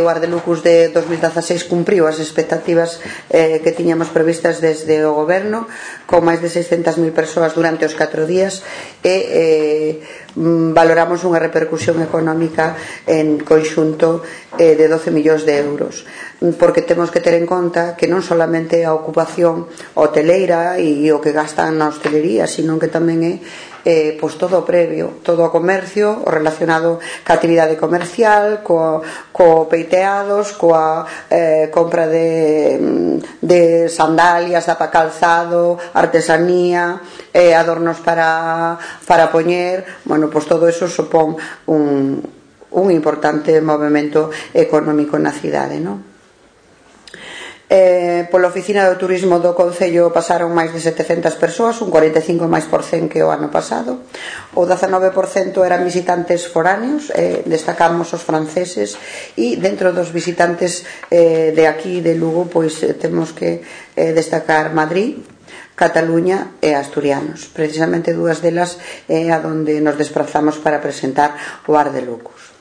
O Ardelucus de 2016 cumpriu as expectativas que tiñamos previstas desde o Goberno, con máis de 600.000 persoas durante os 4 días e valoramos unha repercusión económica en conxunto de 12 millóns de euros, porque temos que ter en conta que non solamente a ocupación hoteleira e o que gastan na hostelería, sino que tamén é pois todo o previo, todo o comercio o relacionado ca actividade comercial, co peiteados, coa compra de sandalias, de calzado, artesanía, adornos para poñer. Bueno, pois todo eso supón un importante movemento económico na cidade, non? Pola oficina do turismo do Concello pasaron máis de 700 persoas, un 45% máis que o ano pasado. O 19% eran visitantes foráneos, destacamos os franceses, e dentro dos visitantes de aquí de Lugo pois temos que destacar Madrid, Cataluña e asturianos. Precisamente dúas delas a donde nos desplazamos para presentar o Ardelucus.